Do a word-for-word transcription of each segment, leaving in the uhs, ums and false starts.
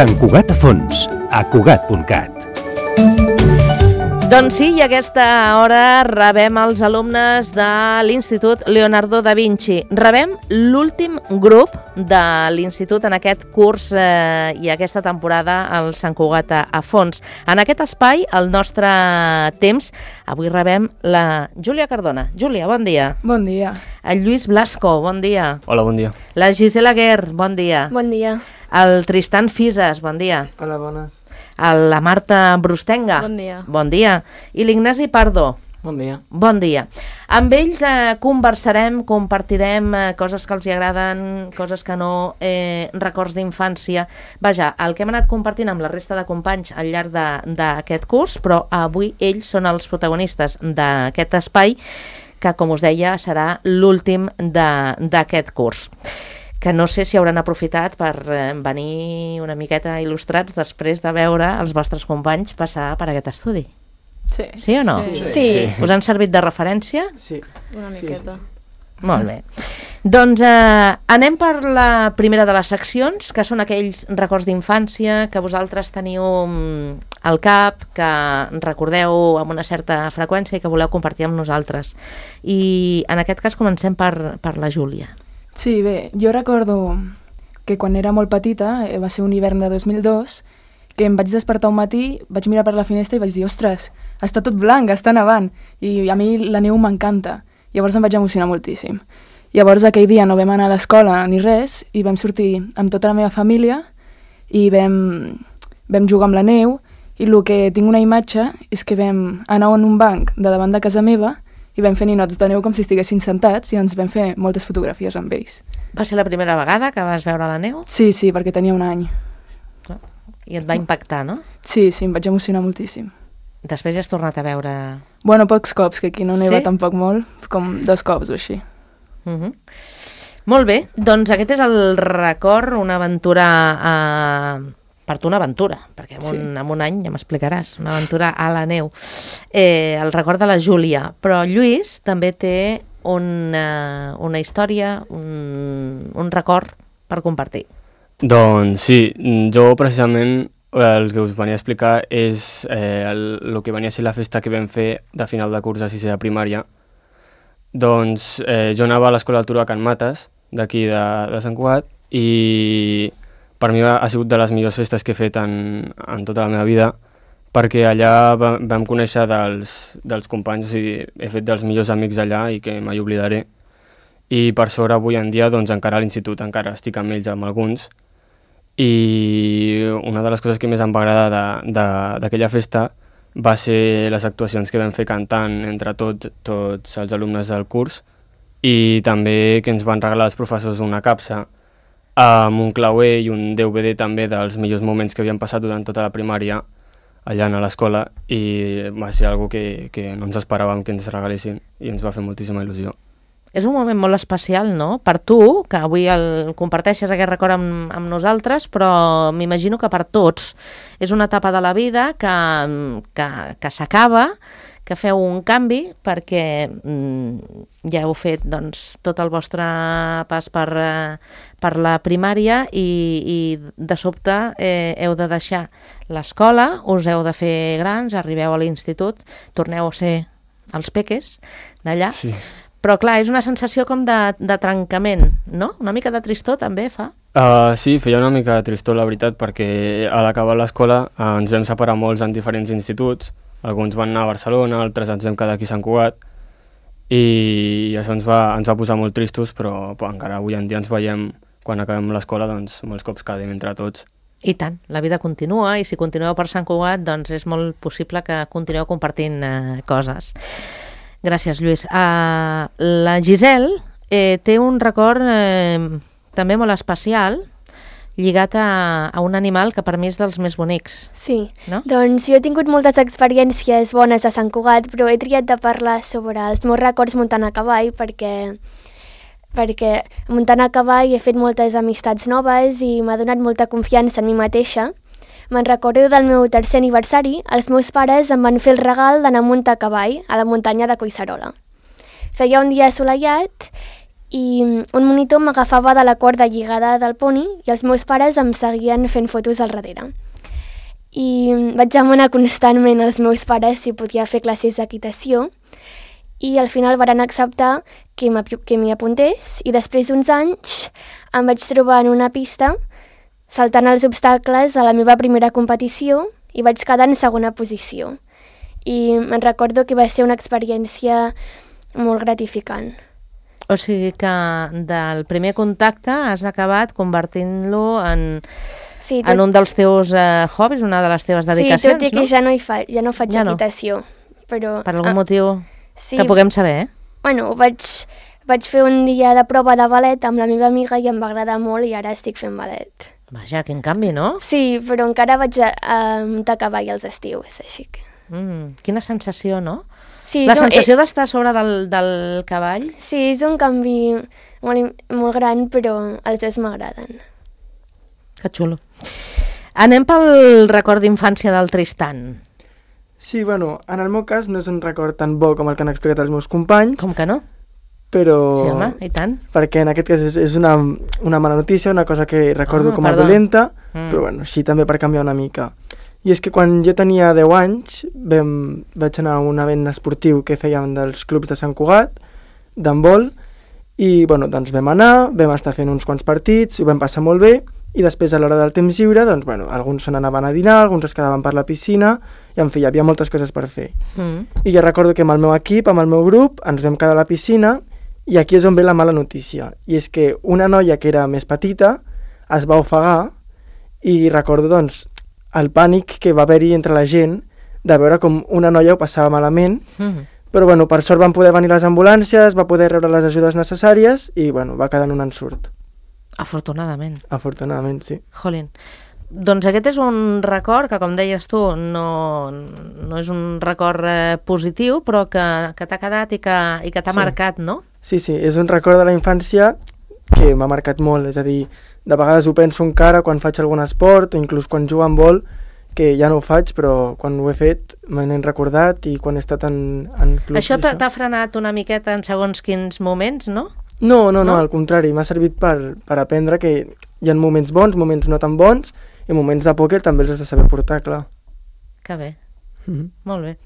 Sant Cugat a fons, a cugat punt cat. Doncs sí, i a aquesta hora rebem els alumnes de l'Institut Leonardo da Vinci. Rebem l'últim grup de l'Institut en aquest curs eh, i aquesta temporada al Sant Cugat a fons. En aquest espai, el nostre temps, avui rebem la Júlia Cardona. Júlia, bon dia. Bon dia. El Lluís Blasco, bon dia. Hola, bon dia. La Gisela Guer, bon dia. Bon dia. El Tristan Fises, bon dia. Hola, bones. La Marta Brustenga. Bon dia. Bon dia. I l'Ignasi Pardo. Bon dia. Bon dia. Amb ells eh, conversarem, compartirem eh, coses que els hi agraden, coses que no, eh, records d'infància. Vaja, el que hem anat compartint amb la resta de companys al llarg d'aquest curs, però avui ells són els protagonistes d'aquest espai, que, com us deia, serà l'últim d'aquest curs. Que no sé si hauran aprofitat per eh, venir una miqueta il·lustrats després de veure els vostres companys passar per aquest estudi. Sí. Sí o no? Sí. Sí. sí. Us han servit de referència? Sí. Una miqueta. Sí, sí, sí. Molt bé. Doncs eh, anem per la primera de les seccions, que són aquells records d'infància que vosaltres teniu al cap, que recordeu amb una certa freqüència i que voleu compartir amb nosaltres. I en aquest cas comencem per, per la Júlia. Sí, bé, jo recordo que quan era molt petita, eh, va ser un hivern de dos mil dos, que em vaig despertar un matí, vaig mirar per la finestra i vaig dir, ostres, està tot blanc, està nevant, i a mi la neu m'encanta. Llavors em vaig emocionar moltíssim. Llavors aquell dia no vam anar a l'escola ni res, i vam sortir amb tota la meva família i vam, vam jugar amb la neu, i el que tinc una imatge és que vam anar en un banc de davant de casa meva i vam fer ninots de neu com si estiguessin sentats i ens vam fer moltes fotografies amb ells. Va ser la primera vegada que vas veure la neu? Sí, sí, perquè tenia un any. I et va impactar, no? Sí, sí, em vaig emocionar moltíssim. Després ja has tornat a veure... Bueno, pocs cops, que aquí no neva Sí? tampoc molt, com dos cops o així. Uh -huh. Molt bé, doncs aquest és el record, una aventura... Eh... per tu una aventura, perquè en un, sí. en un any ja m'explicaràs, una aventura a la neu. Eh, el record de la Júlia, però Lluís també té una, una història, un, un record per compartir. Doncs sí, jo precisament el que us venia a explicar és eh, el, el que venia a ser la festa que vam fer de final de curs de sisè de primària. Doncs eh, jo anava a l'Escola d'Altura de Can Mates, d'aquí de, de Sant Cugat, i per mi ha sigut de les millors festes que he fet en, en tota la meva vida, perquè allà va, vam conèixer dels, dels companys, o sigui, he fet dels millors amics allà i que mai oblidaré. I per sort avui en dia doncs, encara a l'institut, encara estic amb ells, amb alguns. I una de les coses que més em va agradar d'aquella festa va ser les actuacions que vam fer cantant entre tots, tots els alumnes del curs, i també que ens van regalar els professors una capsa amb un clauer i un D V D també dels millors moments que havien passat durant tota la primària allà a l'escola, i va ser algo que, que no ens esperàvem que ens regalessin i ens va fer moltíssima il·lusió. És un moment molt especial, no?, per tu, que avui el comparteixes aquest record amb, amb nosaltres, però m'imagino que per tots. És una etapa de la vida que, que, que s'acaba, que feu un canvi perquè mm, ja heu fet doncs, tot el vostre pas per, per la primària i, i de sobte eh, heu de deixar l'escola, us heu de fer grans, arribeu a l'institut, torneu a ser els peques d'allà, Sí. però clar, és una sensació com de, de trencament, no? Una mica de tristor també fa. Uh, sí, feia una mica de tristor, la veritat, perquè a l'acabar l'escola uh, ens vam separar molts en diferents instituts. Alguns van anar a Barcelona, altres ens vam quedar aquí a Sant Cugat, i això ens va, ens va posar molt tristos, però, però encara avui en dia ens veiem, quan acabem l'escola, doncs molts cops quedem entre tots. I tant, la vida continua, i si continueu per Sant Cugat, doncs és molt possible que continueu compartint eh, coses. Gràcies, Lluís. Uh, la Giselle eh, té un record eh, també molt especial, lligat a, a un animal que per mi és dels més bonics. Sí, no? Doncs jo he tingut moltes experiències bones a Sant Cugat, però he triat de parlar sobre els meus records muntant a cavall, perquè, perquè muntant a cavall he fet moltes amistats noves i m'ha donat molta confiança en mi mateixa. Me'n recordo del meu tercer aniversari, els meus pares em van fer el regal d'anar a muntar a cavall a la muntanya de Collserola. Feia un dia assolellat i un monitor m'agafava de la corda lligada del poni i els meus pares em seguien fent fotos al darrere. I vaig demanar constantment als meus pares si podia fer classes d'equitació i al final varen acceptar que m'hi apuntés i després d'uns anys em vaig trobar en una pista saltant els obstacles a la meva primera competició i vaig quedar en segona posició. I me'n recordo que va ser una experiència molt gratificant. O sigui que del primer contacte has acabat convertint-lo en, sí, tot... en un dels teus eh, hobbies, una de les teves dedicacions, sí, tot i que no? ja no, hi fa, ja no faig ja no. equitació. Però, per algun ah, motiu sí, que puguem saber, eh? Bueno, vaig, vaig fer un dia de prova de ballet amb la meva amiga i em va agradar molt i ara estic fent ballet. Vaja, quin canvi, no? Sí, però encara vaig a, a muntar cavall als estius, així que... Mm, quina sensació, no? Sí, la un, sensació eh, d'estar a sobre del, del cavall. Sí, és un canvi molt, molt gran, però els dos m'agraden. Que xulo. Anem pel record d'infància del Tristan. Sí, bueno, en el meu cas no és un record tan bo com el que han explicat els meus companys. Com que no? Però... Sí, home, i tant. Perquè en aquest cas és, és una, una mala notícia, una cosa que recordo oh, com a perdó. dolenta, mm. però bueno, així també per canviar una mica. I és que quan jo tenia deu anys vam, vaig anar a un event esportiu que fèiem dels clubs de Sant Cugat, d'handbol, i bueno, doncs vam anar, vam estar fent uns quants partits, ho vam passar molt bé, i després a l'hora del temps lliure, doncs bueno, alguns se n'anaven a dinar, alguns es quedaven per la piscina, i en fi, hi havia moltes coses per fer. Mm. I jo recordo que amb el meu equip, amb el meu grup, ens vam quedar a la piscina, i aquí és on ve la mala notícia, i és que una noia que era més petita es va ofegar, i recordo, doncs, el pànic que va haver-hi entre la gent de veure com una noia ho passava malament, Mm. però bueno, per sort van poder venir les ambulàncies, va poder rebre les ajudes necessàries i bueno, va quedar en un ensurt. Afortunadament. Afortunadament, sí. Jolín. Doncs aquest és un record que, com deies tu, no, no és un record eh, positiu, però que, que t'ha quedat i que, i que t'ha Sí. marcat, no? Sí, sí, és un record de la infància que m'ha marcat molt, és a dir, de vegades ho penso encara quan faig algun esport o inclús quan jugo en vol, que ja no ho faig, però quan ho he fet me n'he recordat i quan he estat en, en clubs... Això t'ha t'ha frenat una miqueta en segons quins moments, no? No, no, no, No? al contrari, m'ha servit per, per aprendre que hi ha moments bons, moments no tan bons, i moments de pòquer també els has de saber portar, clar. Que bé, Mm-hmm. molt bé.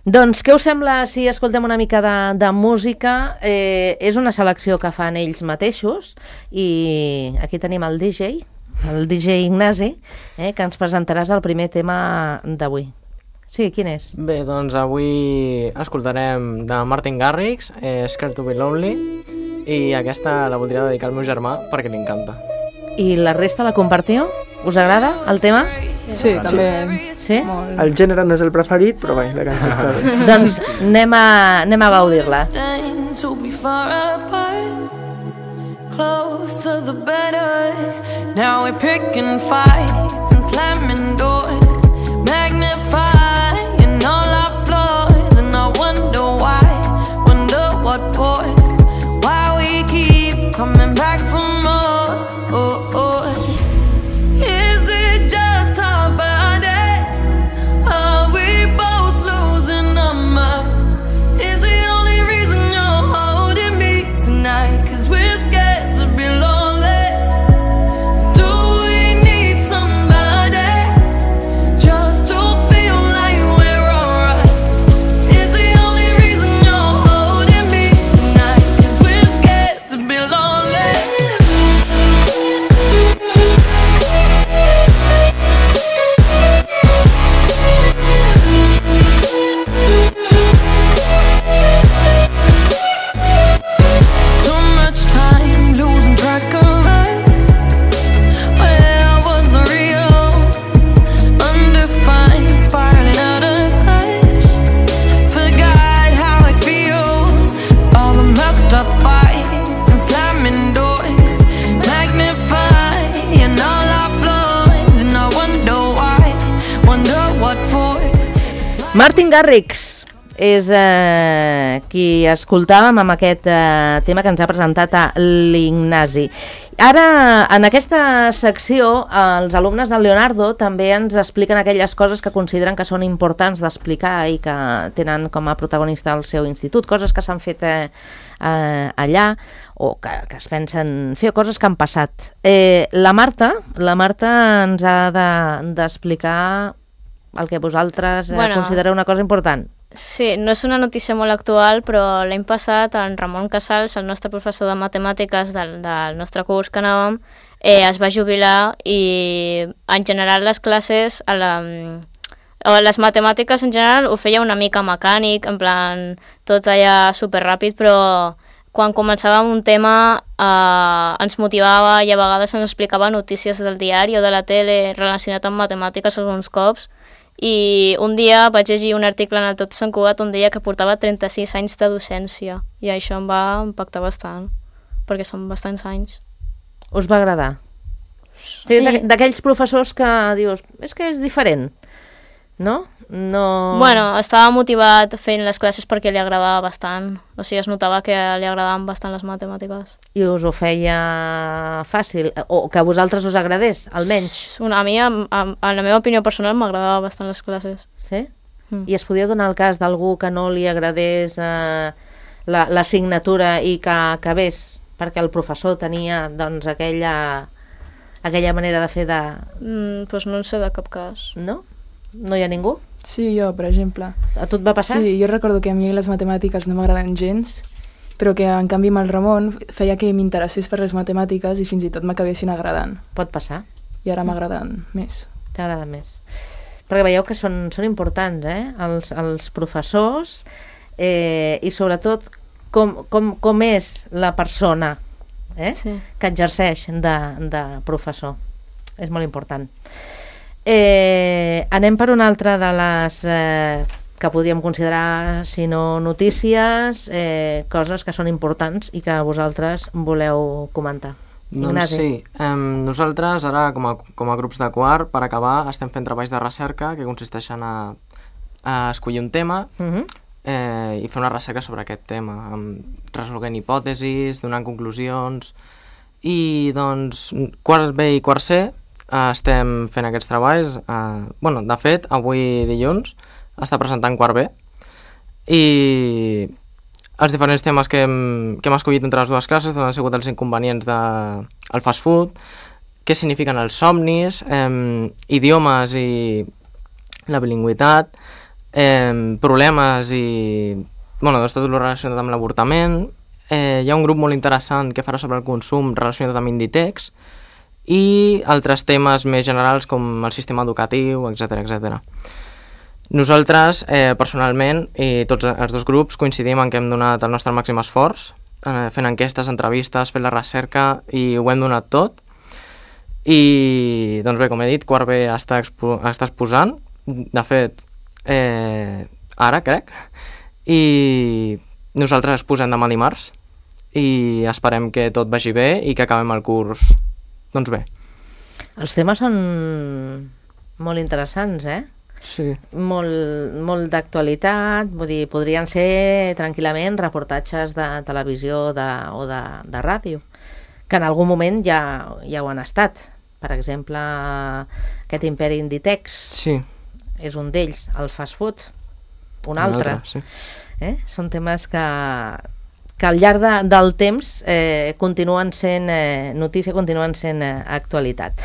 Doncs què us sembla si escoltem una mica de, de música? Eh, és una selecció que fan ells mateixos i aquí tenim el D J, el D J Ignasi, eh, que ens presentaràs el primer tema d'avui. Sí, quin és? Bé, doncs avui escoltarem de Martin Garrix, eh, Scared to be Lonely, i aquesta la voldria dedicar al meu germà perquè li encanta. I la resta la compartiu? Us agrada el tema? Sí, també. Sí? Molt. El gènere no és el preferit, però bé, la cançó està bé. Doncs anem a, anem a gaudir-la. To be far apart, closer the better. Now we're picking fights and slamming doors, magnifying all our flaws, and I wonder why, wonder what for, why we keep coming back for more. Oh, oh. Is it just our bodies? Are we both losing our minds? Is the only reason you're holding me tonight 'cause we're scared to be lonely? Do we need somebody just to feel like we're alright? Is the only reason you're holding me tonight 'cause we're scared to be lonely? So much time losing track of us. Where was the real? Undefined, spiraling out of touch. Forgot how it feels. All the messed up fights and slamming doors, magnifying all our flaws, and I wonder why, wonder what for. Martin Garrix és eh, qui escoltàvem amb aquest eh, tema que ens ha presentat a l'Ignasi. Ara, en aquesta secció, els alumnes del Leonardo també ens expliquen aquelles coses que consideren que són importants d'explicar i que tenen com a protagonista el seu institut, coses que s'han fet eh, eh, allà o que, que es pensen fer, o coses que han passat. Eh, la Marta, la Marta ens ha de, d'explicar el que vosaltres eh, Bueno. considereu una cosa important. Sí, no és una notícia molt actual, però l'any passat en Ramon Casals, el nostre professor de matemàtiques del, del nostre curs que anàvem, eh, es va jubilar i en general les classes, a la, o les matemàtiques en general ho feia una mica mecànic, en plan tot allà superràpid, però quan començàvem un tema eh, ens motivava i a vegades ens explicava notícies del diari o de la tele relacionat amb matemàtiques alguns cops. I un dia vaig llegir un article en el Tot Sant Cugat on deia que portava trenta-sis anys de docència i això em va impactar bastant, perquè són bastants anys. Us va agradar? Sí. És d'aqu- d'aquells professors que dius, és que és diferent, no? No... Bueno, estava motivat fent les classes perquè li agradava bastant, o sigui, es notava que li agradaven bastant les matemàtiques. I us ho feia fàcil, o que a vosaltres us agradés, almenys. Una, a mi, a, a, a la meva opinió personal, m'agradava bastant les classes. Sí? Mm. I es podia donar el cas d'algú que no li agradés eh, la- l'assignatura i que acabés perquè el professor tenia doncs aquella, aquella manera de fer de... Mm, doncs no en sé de cap cas. No? No hi ha ningú? Sí, jo, per exemple. A tu et va passar? Sí, jo recordo que a mi les matemàtiques no m'agraden gens, però que en canvi amb el Ramon feia que m'interessés per les matemàtiques i fins i tot m'acabessin agradant. Pot passar. I ara m'agraden més. T'agrada més. Perquè veieu que són, són importants, eh? Els, els professors eh, i sobretot com, com, com és la persona eh? Sí. que exerceix de, de professor. És molt important. Eh, anem per una altra de les eh, que podríem considerar, si no notícies, eh, coses que són importants i que vosaltres voleu comentar. Doncs Ignasi. sí, um, nosaltres ara com a, com a grups de quart, per acabar, estem fent treballs de recerca que consisteixen a, a escollir un tema Uh -huh. eh, i fer una recerca sobre aquest tema, amb, resolent hipòtesis, donant conclusions, i doncs quart B i quart C eh, estem fent aquests treballs. Eh, bueno, de fet, avui dilluns està presentant quart B i els diferents temes que hem, que hem escollit entre les dues classes han sigut els inconvenients del de, fast food, què signifiquen els somnis, eh, idiomes i la bilingüitat, eh, problemes i bueno, doncs tot el relacionat amb l'avortament. Eh, hi ha un grup molt interessant que farà sobre el consum relacionat amb Inditex i altres temes més generals com el sistema educatiu, etcètera etcètera. Nosaltres, eh, personalment, i tots els dos grups coincidim en que hem donat el nostre màxim esforç, eh, fent enquestes, entrevistes, fent la recerca, i ho hem donat tot. I, doncs bé, com he dit, quart B està, expo està exposant, de fet, eh, ara, crec, i nosaltres exposem demà dimarts, i esperem que tot vagi bé i que acabem el curs, doncs bé. Els temes són molt interessants, eh? Sí. Molt, molt d'actualitat, vull dir, podrien ser tranquil·lament reportatges de televisió de, o de, de ràdio, que en algun moment ja, ja ho han estat. Per exemple, aquest imperi Inditex Sí. és un d'ells, el fast food, un Un altre. altre, sí. Eh? Són temes que, que al llarg de, del temps eh, continuen sent eh, notícia, continuen sent eh, actualitat.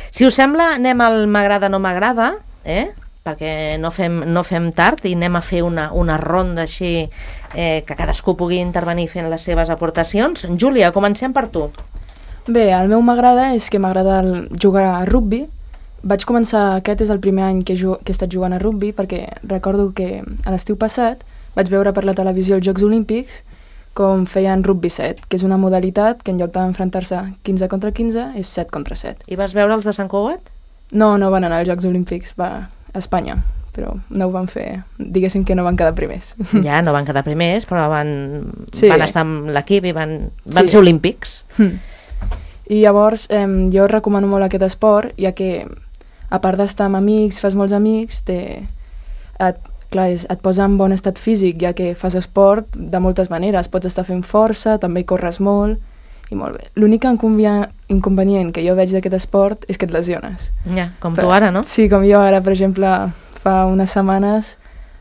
Si us sembla, anem al m'agrada, no m'agrada, eh? perquè no fem, no fem tard i anem a fer una, una ronda així eh, que cadascú pugui intervenir fent les seves aportacions. Júlia, comencem per tu. Bé, el meu m'agrada és que m'agrada el- jugar a rugby. Vaig començar, aquest és el primer any que, que he estat jugant a rugby, perquè recordo que a l'estiu passat vaig veure per la televisió els Jocs Olímpics com feien rugby set, que és una modalitat que en lloc d'enfrontar-se quinze contra quinze és set contra set. I vas veure els de Sant Cugat? No, no van anar als Jocs Olímpics, va a Espanya, però no ho van fer, diguéssim que no van quedar primers. Ja, no van quedar primers, però van, Sí. van estar amb l'equip i van, van Sí. ser olímpics. I llavors eh, jo recomano molt aquest esport, ja que a part d'estar amb amics, fas molts amics, te, et, clar, és, et posa en bon estat físic, ja que fas esport de moltes maneres. Pots estar fent força, també corres molt, i molt bé. L'únic inconvenient que jo veig d'aquest esport és que et lesiones. Ja, com tu ara, no? Sí, com jo ara, per exemple, fa unes setmanes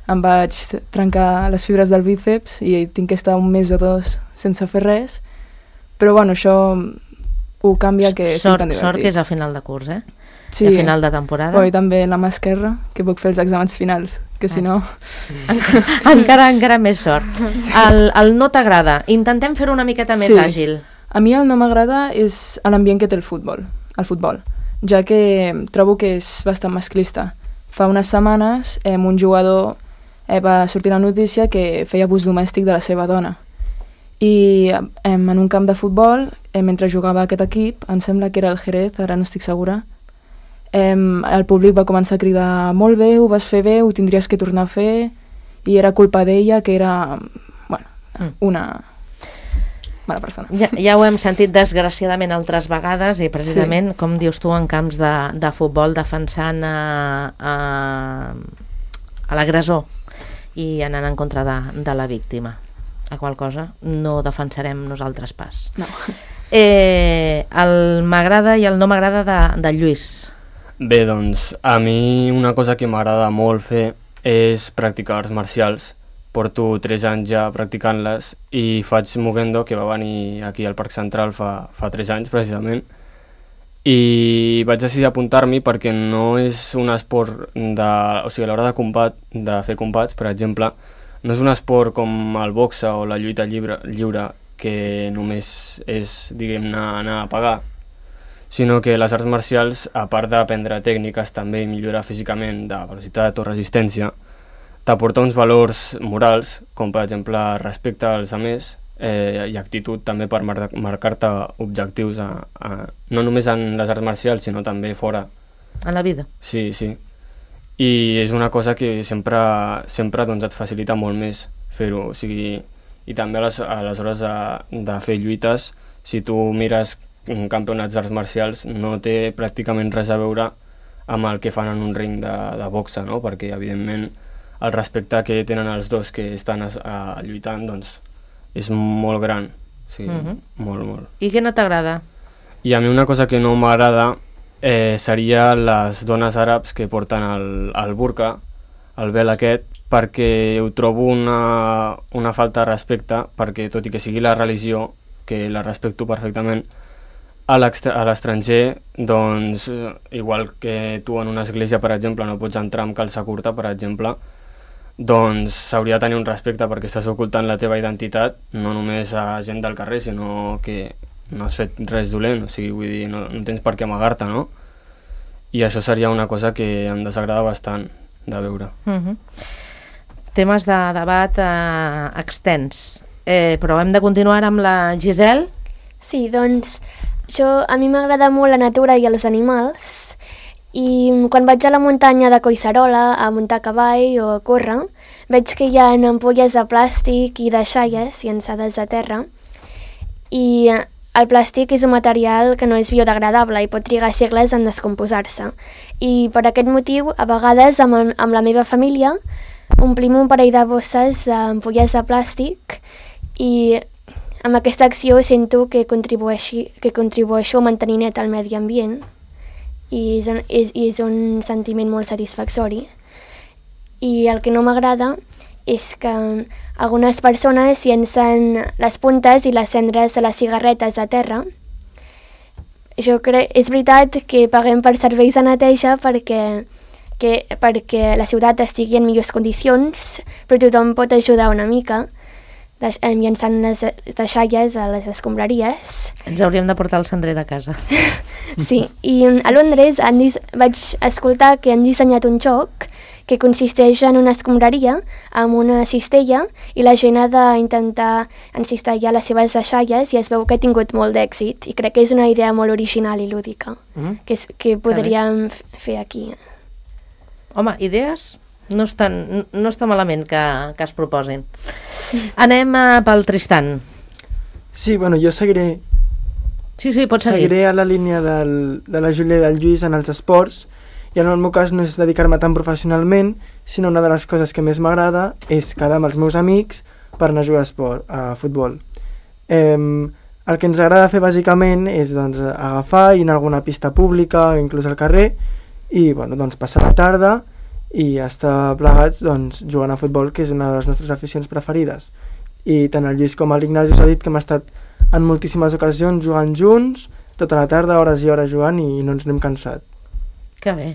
em vaig trencar les fibres del bíceps i tinc que estar un mes o dos sense fer res, però bueno, això ho canvia que sort, és tan divertit. Sort que és a final de curs, eh? Sí. I a final de temporada. Oh, i també la mà esquerra, que puc fer els exàmens finals, que si no... Encara, encara, encara més sort. El, el no t'agrada, intentem fer-ho una miqueta més Sí. àgil. A mi el no m'agrada és l'ambient que té el futbol, el futbol, ja que trobo que és bastant masclista. Fa unes setmanes eh, un jugador eh, va sortir la notícia que feia abús domèstic de la seva dona. I eh, en un camp de futbol, eh, mentre jugava aquest equip, em sembla que era el Jerez, ara no estic segura, eh, el públic va començar a cridar molt bé, ho vas fer bé, ho tindries que tornar a fer, i era culpa d'ella, que era, bueno, una mala persona. Ja, ja ho hem sentit desgraciadament altres vegades i precisament, sí. com dius tu, en camps de, de futbol defensant a, a, a l'agressor i anant en contra de, de la víctima. A qual cosa no defensarem nosaltres pas. No. Eh, el m'agrada i el no m'agrada de, de Lluís. Bé, doncs, a mi una cosa que m'agrada molt fer és practicar arts marcials. Porto tres anys ja practicant-les i faig Mugendo, que va venir aquí al Parc Central fa, fa tres anys, precisament. I vaig decidir apuntar-m'hi perquè no és un esport de... O sigui, a l'hora de combat, de fer combats, per exemple, no és un esport com el boxe o la lluita lliure, lliure que només és, diguem-ne, anar a pagar, sinó que les arts marcials, a part d'aprendre tècniques també i millorar físicament de velocitat o resistència, t'aporta uns valors morals, com per exemple respecte als altres eh, i actitud també per mar marcar-te objectius, a, a, no només en les arts marcials, sinó també fora. En la vida. Sí, sí. I és una cosa que sempre, sempre doncs, et facilita molt més fer-ho. O sigui, i també a les, a les hores de, de fer lluites, si tu mires campionats d'arts marcials, no té pràcticament res a veure amb el que fan en un ring de, de boxa, no? Perquè, evidentment, el respecte que tenen els dos que estan a, a lluitant, doncs, és molt gran. Sí, uh -huh. molt, molt. I què no t'agrada? I a mi una cosa que no m'agrada eh, seria les dones àrabs que porten el, el burka, el vel aquest, perquè ho trobo una, una falta de respecte, perquè tot i que sigui la religió, que la respecto perfectament, a l'estranger, doncs, igual que tu en una església, per exemple, no pots entrar amb calça curta, per exemple, doncs s'hauria de tenir un respecte perquè estàs ocultant la teva identitat, no només a gent del carrer, sinó que no has fet res dolent, o sigui, vull dir, no, no tens per què amagar-te, no? I això seria una cosa que em desagrada bastant de veure. Uh-huh. Temes de debat eh, extens, eh, però hem de continuar amb la Giselle. Sí, doncs, jo, a mi m'agrada molt la natura i els animals, i quan vaig a la muntanya de Collserola a muntar a cavall o a córrer, veig que hi ha ampolles de plàstic i de xaies llançades a terra, i el plàstic és un material que no és biodegradable i pot trigar segles en descomposar-se. I per aquest motiu, a vegades, amb, amb la meva família, omplim un parell de bosses d'ampolles de plàstic i amb aquesta acció sento que, contribueixi, que contribueixo a mantenir net el medi ambient i és un, és, és un sentiment molt satisfactori. I el que no m'agrada és que algunes persones llencen les puntes i les cendres de les cigarretes a terra. Jo crec, és veritat que paguem per serveis de neteja perquè, que, perquè la ciutat estigui en millors condicions, però tothom pot ajudar una mica llançant les deixalles a les escombraries. Ens hauríem de portar el cendrer de casa. Sí, i a Londres han vaig escoltar que han dissenyat un joc que consisteix en una escombraria amb una cistella i la gent ha d'intentar encistellar les seves deixalles i es veu que ha tingut molt d'èxit i crec que és una idea molt original i lúdica mm. que, és, que podríem fer aquí. Home, idees? No està, no està malament que, que es proposin. Anem uh, pel Tristan. Sí, bueno, jo seguiré... Sí, sí, pots seguir. Seguiré a la línia del, de la Júlia i del Lluís en els esports, i en el meu cas no és dedicar-me tan professionalment, sinó una de les coses que més m'agrada és quedar amb els meus amics per anar a jugar a, esport, a futbol. Eh, el que ens agrada fer bàsicament és doncs, agafar i anar a alguna pista pública o inclús al carrer i bueno, doncs, passar la tarda i estar plegats doncs, jugant a futbol, que és una de les nostres aficions preferides. I tant el Lluís com l'Ignasi us ha dit que hem estat en moltíssimes ocasions jugant junts, tota la tarda, hores i hores jugant, i no ens n'hem cansat. Que bé.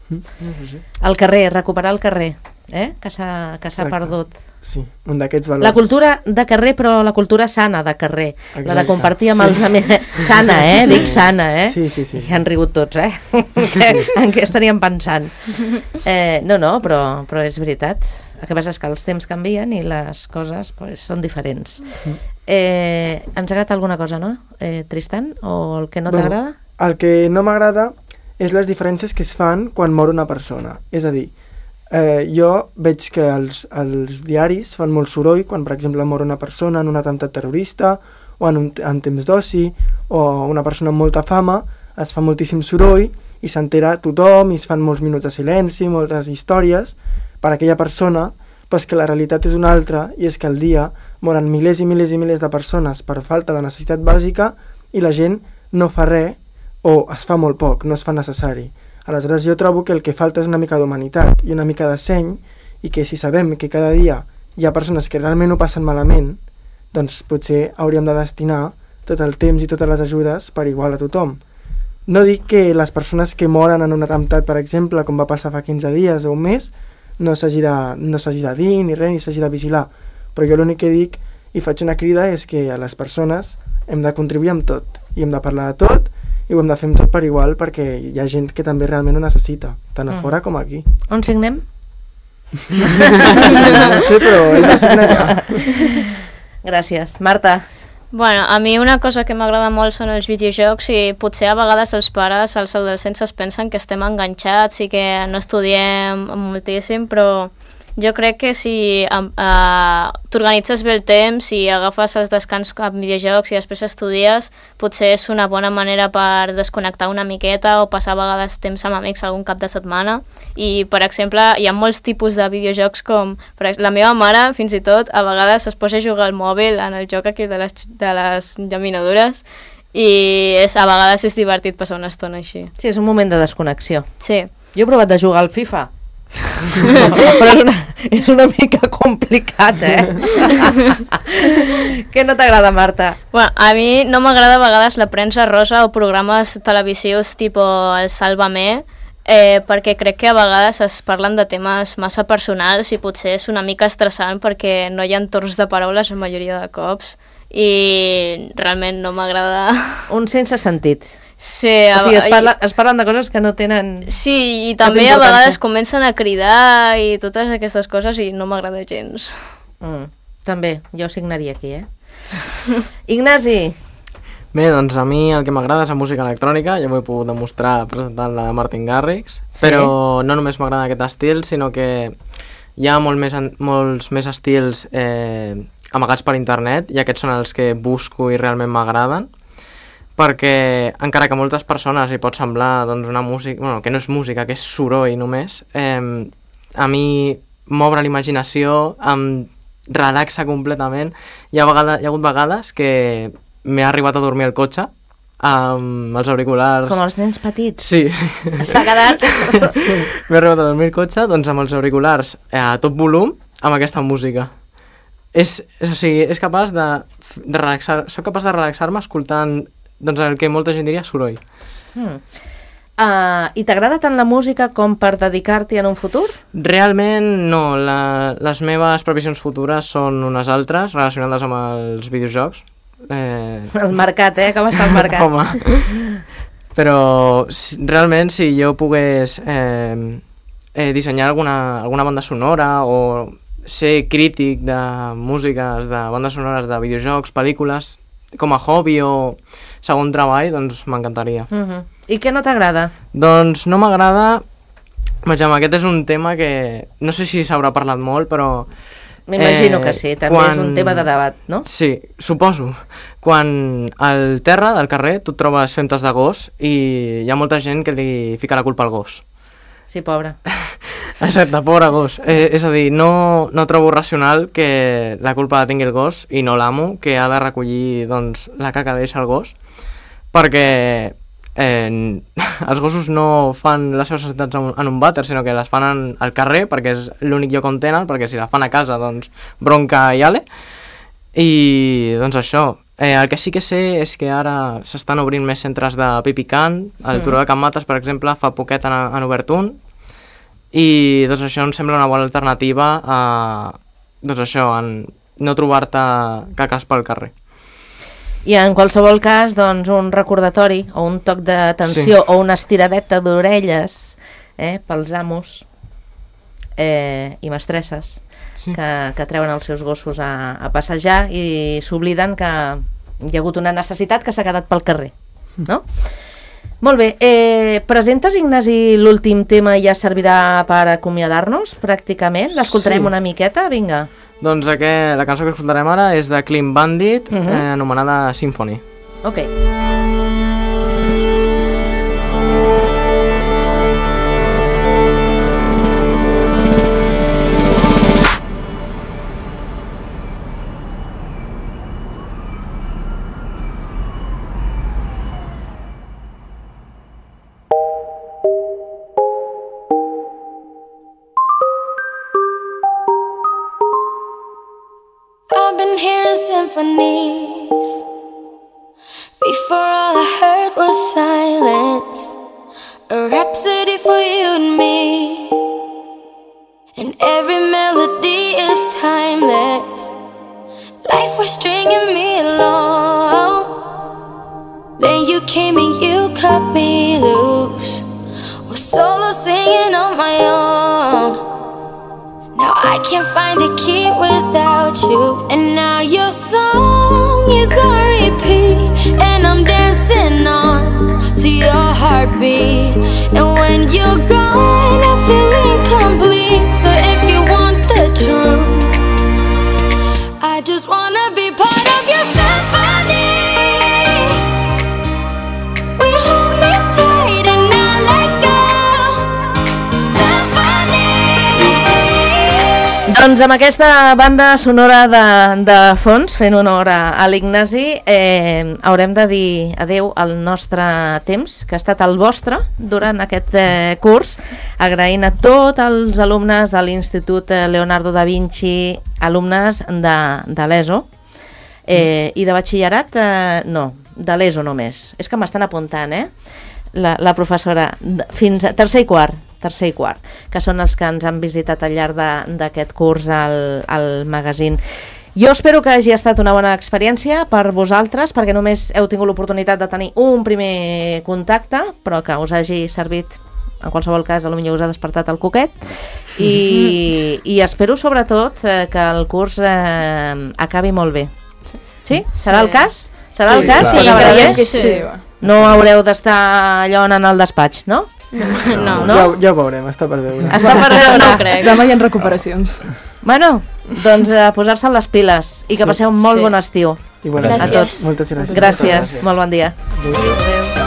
Mm. El carrer, recuperar el carrer, eh? que s'ha que s'ha perdut. Sí, un d'aquests valors. La cultura de carrer, però la cultura sana de carrer. Exacte. La de compartir amb Sí. els amics. Sana, eh? Sí. Dic sana, eh? Sí, sí, sí. I han rigut tots, eh? En què estaríem pensant? Eh, no, no, però, però és veritat. El que passa és que els temps canvien i les coses pues, són diferents. Eh, ens agrada alguna cosa, no? Eh, Tristan? O el que no Bueno, t'agrada? El que no m'agrada és les diferències que es fan quan mor una persona. És a dir, eh, jo veig que els, els diaris fan molt soroll quan, per exemple, mor una persona en un atemptat terrorista o en, un, en temps d'oci, o una persona amb molta fama, es fa moltíssim soroll i s'entera tothom i es fan molts minuts de silenci, moltes històries per a aquella persona, però és que la realitat és una altra, i és que al dia moren milers i milers i milers de persones per falta de necessitat bàsica i la gent no fa res o es fa molt poc, no es fa necessari. Aleshores jo trobo que el que falta és una mica d'humanitat i una mica de seny, i que si sabem que cada dia hi ha persones que realment ho passen malament, doncs potser hauríem de destinar tot el temps i totes les ajudes per igual a tothom. No dic que les persones que moren en un atemptat, per exemple, com va passar fa quinze dies o un mes, no s'hagi de, no s'hagi de dir ni res, ni s'hagi de vigilar, però jo l'únic que dic i faig una crida és que a les persones hem de contribuir amb tot, i hem de parlar de tot, i ho hem de fer amb tot per igual, perquè hi ha gent que també realment ho necessita, tant a Mm. fora com aquí. On signem? No sé, però ell de signar ja. Gràcies. Marta? Bueno, a mi una cosa que m'agrada molt són els videojocs, i potser a vegades els pares, els adolescents es pensen que estem enganxats i que no estudiem moltíssim, però jo crec que si uh, t'organitzes bé el temps i agafes els descans amb videojocs i després estudies, potser és una bona manera per desconnectar una miqueta o passar a vegades temps amb amics algun cap de setmana. I, per exemple, hi ha molts tipus de videojocs com... Per exemple, la meva mare, fins i tot, a vegades es posa a jugar al mòbil en el joc aquí de les, de les llaminadures, i és, a vegades és divertit passar una estona així. Sí, és un moment de desconnexió. Sí. Jo he provat de jugar al FIFA, però és una, és una mica complicat, eh? Què no t'agrada, Marta? Bueno, a mi no m'agrada a vegades la premsa rosa o programes televisius tipus el Sálvame, eh, perquè crec que a vegades es parlen de temes massa personals i potser és una mica estressant perquè no hi ha torns de paraules la majoria de cops i realment no m'agrada. Un sense sentit. Sí, o sigui, es, parla, es parlen de coses que no tenen... Sí, i també a vegades comencen a cridar i totes aquestes coses i no m'agrada gens. Mm, també, jo signaria aquí, eh? Ignasi! Bé, doncs a mi el que m'agrada és la música electrònica, ja ho he pogut demostrar presentant la de Martin Garrix, sí. Però no només m'agrada aquest estil, sinó que hi ha molt més, molts més estils eh, amagats per internet, i aquests són els que busco i realment m'agraden, perquè encara que a moltes persones hi pot semblar doncs, una música, bueno, que no és música, que és soroll només, eh, a mi m'obre l'imaginació, em relaxa completament. Hi ha, vegada, hi ha hagut vegades que m'he arribat a dormir al cotxe amb els auriculars... Com els nens petits? Sí, sí. S'ha quedat? M'he arribat a dormir al cotxe doncs, amb els auriculars a tot volum amb aquesta música. És, és, o sigui, és capaç de, de relaxar, soc capaç de relaxar-me escoltant doncs el que molta gent diria soroll. Mm. Uh, I t'agrada tant la música com per dedicar-t'hi en un futur? Realment no, la, les meves previsions futures són unes altres relacionades amb els videojocs. Eh... El mercat, eh? Com està el mercat? Home, però si, realment si jo pogués eh, eh, dissenyar alguna, alguna banda sonora o ser crític de músiques, de bandes sonores de videojocs, pel·lícules, com a hobby o segon treball, doncs m'encantaria. Uh-huh. I què no t'agrada? Doncs no m'agrada... Vaja, aquest és un tema que no sé si s'haurà parlat molt, però... M'imagino eh, que sí, també quan... és un tema de debat, no? Sí, suposo. Quan al terra del carrer tu et trobes femtes de gos i hi ha molta gent que li fica la culpa al gos. Sí, pobre. Exacte, pobre gos. Eh, és a dir, no, no trobo racional que la culpa la tingui el gos i no l'amo, que ha de recollir doncs, la caca que deixa el gos, perquè eh, els gossos no fan les seves necessitats en un, en un vàter, sinó que les fan en, al carrer, perquè és l'únic lloc on tenen, perquè si la fan a casa, doncs bronca i ale. I doncs això, eh, el que sí que sé és que ara s'estan obrint més centres de pipicant. El Turó de Can Mates, per exemple, fa poquet han, han obert un, i doncs això em sembla una bona alternativa a doncs això, en no trobar-te caques pel carrer. I en qualsevol cas, doncs, un recordatori o un toc d'atenció sí. o una estiradeta d'orelles eh, pels amos eh, i mestresses sí. que, que treuen els seus gossos a, a passejar i s'obliden que hi ha hagut una necessitat que s'ha quedat pel carrer, no? Molt bé, eh, presentes, Ignasi, l'últim tema i ja servirà per acomiadar-nos, pràcticament? L'escoltarem sí. una miqueta? Vinga. Doncs aquest, la cançó que escoltarem ara és de Clean Bandit, uh-huh. eh, anomenada Symphony. Ok. I've been hearing symphonies. Before all I heard was silence. A rhapsody for you and me. And every melody is timeless. Life was stringing me along. Then you came and you cut me loose. Was solo singing on my own. Now I can't find a key without you. And now your song is on repeat. And I'm dancing on to your heartbeat. And when you're gone I feel incomplete. So if you want the truth, I just wanna be part of your symphony. We hold me tight and not let go. Doncs amb aquesta banda sonora de, de fons, fent honor a, a l'Ignasi, eh, haurem de dir adeu al nostre temps, que ha estat el vostre durant aquest eh, curs, agraint a tots els alumnes de l'Institut Leonardo da Vinci, alumnes de, de l'ESO, eh, i de batxillerat, eh, no, de l'ESO només. És que m'estan apuntant, eh? La, la professora, fins a tercer i quart, tercer i quart, que són els que ens han visitat al llarg d'aquest curs al, al magazín. Jo espero que hagi estat una bona experiència per vosaltres, perquè només heu tingut l'oportunitat de tenir un primer contacte, però que us hagi servit, en qualsevol cas, potser us ha despertat el coquet, i, i espero sobretot eh, que el curs eh, acabi molt bé. Sí? Serà el cas? Serà el cas? Sí, sí, sí, sí. No haureu d'estar allò en el despatx, no? No. No? Ja, ja ho veurem, està per veure. Està per veure. No ho crec. Demà hi ha recuperacions. Bueno, doncs a posar-se les piles i que passeu un molt Sí. bon estiu. I bueno, a tots. moltes gràcies. Gràcies, molt bon dia. Adéu. Adéu.